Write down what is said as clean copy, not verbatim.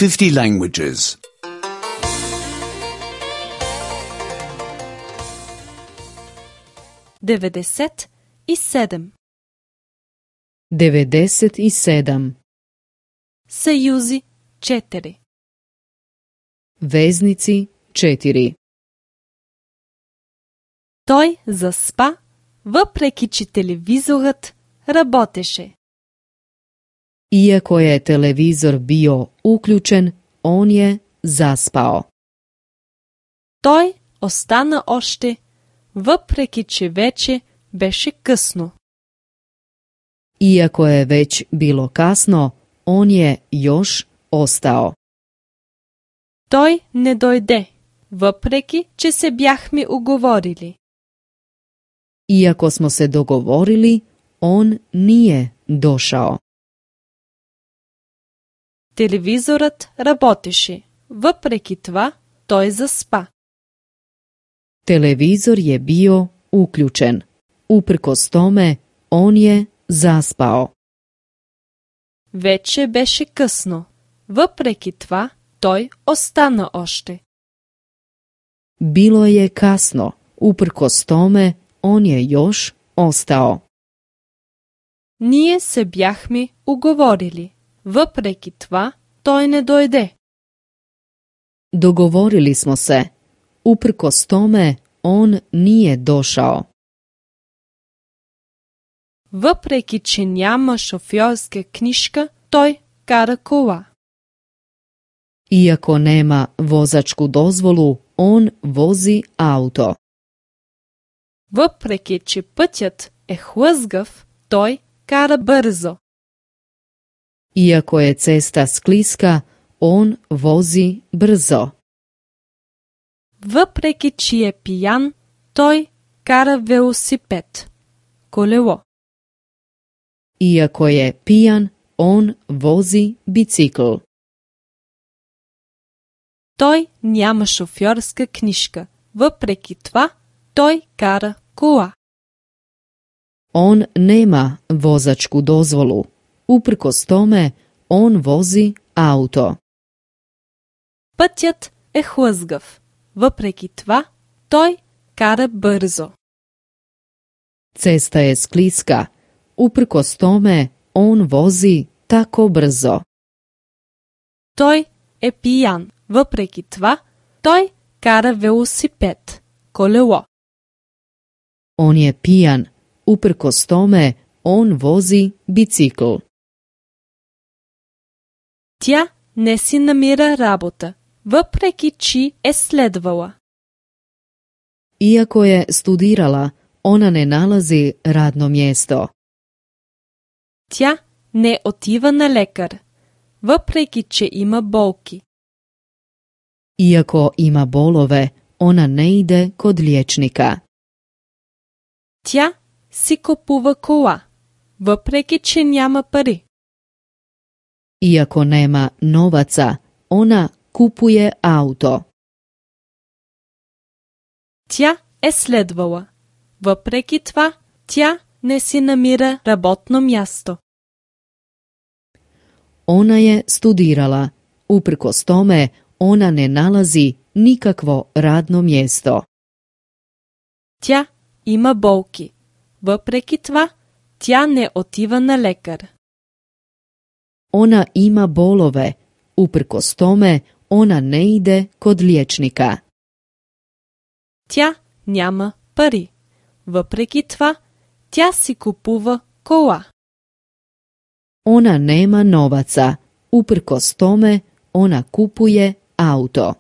50 languages. 97. 97. Съюзи 4. Veznici 4. Той заспа, въпреки че телевизорът работеше. Iako je televizor bio uključen, on je zaspao. Той остана още, въпреки че вече беше късно. Iako je već bilo kasno, on je još ostao. Той не дойде, въпреки че се бяхме уговорили. Iako smo se dogovorili, on nije došao. Телевизорът работеше, въпреки това той заспа. Televizor je bio uključen. Uprkos tome, on je zaspao. Вече беше късно, въпреки това той остана още. Bilo je kasno. Uprkos tome, on je još ostao. Ние се бяхме уговорили, въпреки това той не дойде. Dogovorili smo se. Uprkos tome, on nije došao. Въпреки че няма шофьорска книжка, той кара кола. Iako nema vozačku dozvolu, on vozi auto. Въпреки че пътят е хлъзгав, той кара бързо. Iako je cesta skliska, on vozi brzo. Въпреки че е пиян, той кара велосипед, колело. Iako je pijan, on vozi bicikl. Той няма шофьорска книжка, въпреки това той кара кола. On nema vozačku dozvolu. Uprkos tome, on vozi auto. Пътят е хлъзгав, въпреки това той кара бързо. Cesta je skliska. Uprkos tome, on vozi tako brzo. Той е пиян, въпреки това той кара велосипед, колело. On je pijan. Uprkos tome, on vozi bicikl. Тя не си намира работа, въпреки че е следвала. Iako je studirala, ona ne nalazi radno mjesto. Тя не отива на лекар, въпреки че има болки. Iako ima bolove, ona ne ide kod liječnika. Тя си купува кола, въпреки че няма пари. Iako nema novaca, ona kupuje auto. Тя е следвала, въпреки това тя не си намира работно място. Ona je studirala. Uprkos tome, ona ne nalazi nikakvo radno mjesto. Тя има болки, въпреки това тя не отива на лекар. Ona ima bolove. Uprkos tome, ona ne ide kod liječnika. Тя няма пари, въпреки това тя си купува кола. Ona nema novaca. Uprkos tome, ona kupuje auto.